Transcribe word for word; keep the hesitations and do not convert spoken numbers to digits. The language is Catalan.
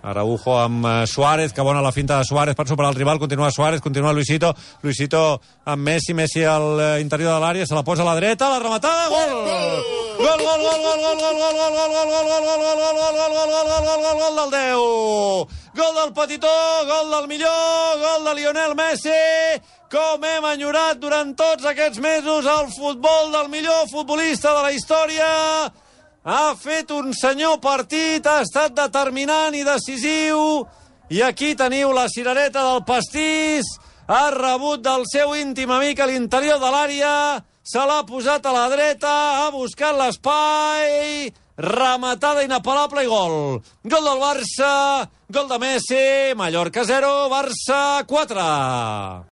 Araujo amb Suárez, que bona la finta de Suárez per superar el rival, continua Suárez, continua Luisito, Luisito amb Messi, Messi al interior de l'àrea, se la posa a la dreta, la rematada, gol! Gol, gol, gol, gol, gol, gol, gol, gol, gol, gol, gol, gol, gol, gol, gol, gol, gol del deu! Gol del petitó, gol del millor, gol de Lionel Messi! Com hem enyorat durant tots aquests mesos el futbol del millor futbolista de la història! Ha fet un senyor partit, ha estat determinant i decisiu, i aquí teniu la cirereta del pastís, ha rebut del seu íntim amic a l'interior de l'àrea, se l'ha posat a la dreta, ha buscat l'espai, rematada inapel·lable i gol. Gol del Barça, gol de Messi, Mallorca zero, Barça quatre.